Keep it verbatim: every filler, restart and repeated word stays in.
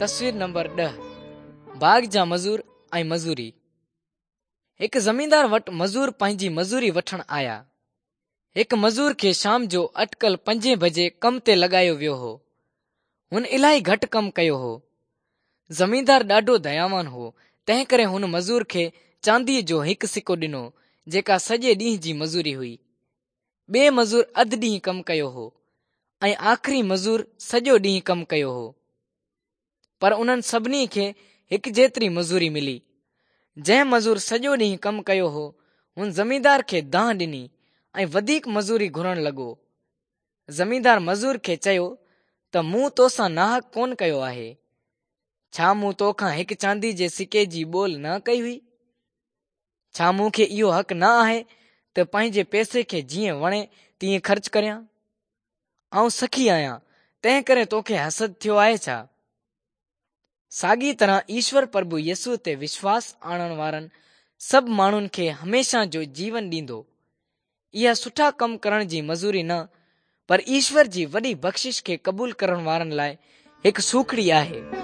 تصوير نمبر ڏهه، باغ جا مزور ۽ مزوري. هڪ زميندار وٽ مزور پنهنجي مزوري وٺڻ آيا. هڪ مزور کي شام جو اٽڪل پنجين بجي ڪم تي لڳايو ويو هو. هن الاهي گهٽ ڪم ڪيو هو. زميندار ڏاڍو دياوان هو، تنهن ڪري هن مزور کي چانديء جو هڪ سڪو ڏنو، جيڪا سڄي ڏينهن جي مزوري هئي. ٻئي مزور اڌ ڏينهن ڪم ڪيو هو ۽ آخري مزور سڄو ڏينهن ڪم ڪيو هو. پر انهن سڀني کي هڪ جيتري مزوري ملي. جنهن مزور سڄو ڏينهن ڪم ڪيو هو، هن زميندار کي دانهن ڏني ۽ وڌيڪ مزوري گهرڻ لڳو. زميندار مزور کي چيو ته مون توسان ناحق ڪونه ڪيو آهي. ڇا مون تو کان هڪ چاندي جي سڪي جي ٻول نه ڪئي هئي؟ ڇا مون کي اهو حق نه آهي ته پنهنجي پئسي کي جيئن وڻي تيئن خرچ ڪريان؟ آئون سخي آهيان، تنهن ڪري توکي حسد ٿيو آهي ڇا؟ ساڳي طرح ايشور پرڀو يسوع تي وشواس آڻڻ وارن سڀ ماڻهن کي هميشه جو جيون ڏيندو. اها سٺا ڪم ڪرڻ جي مزوري نه، پر ايشور جي وڏي بخشش کي قبول ڪرڻ وارن لاءِ هڪ سوکڙي آهي.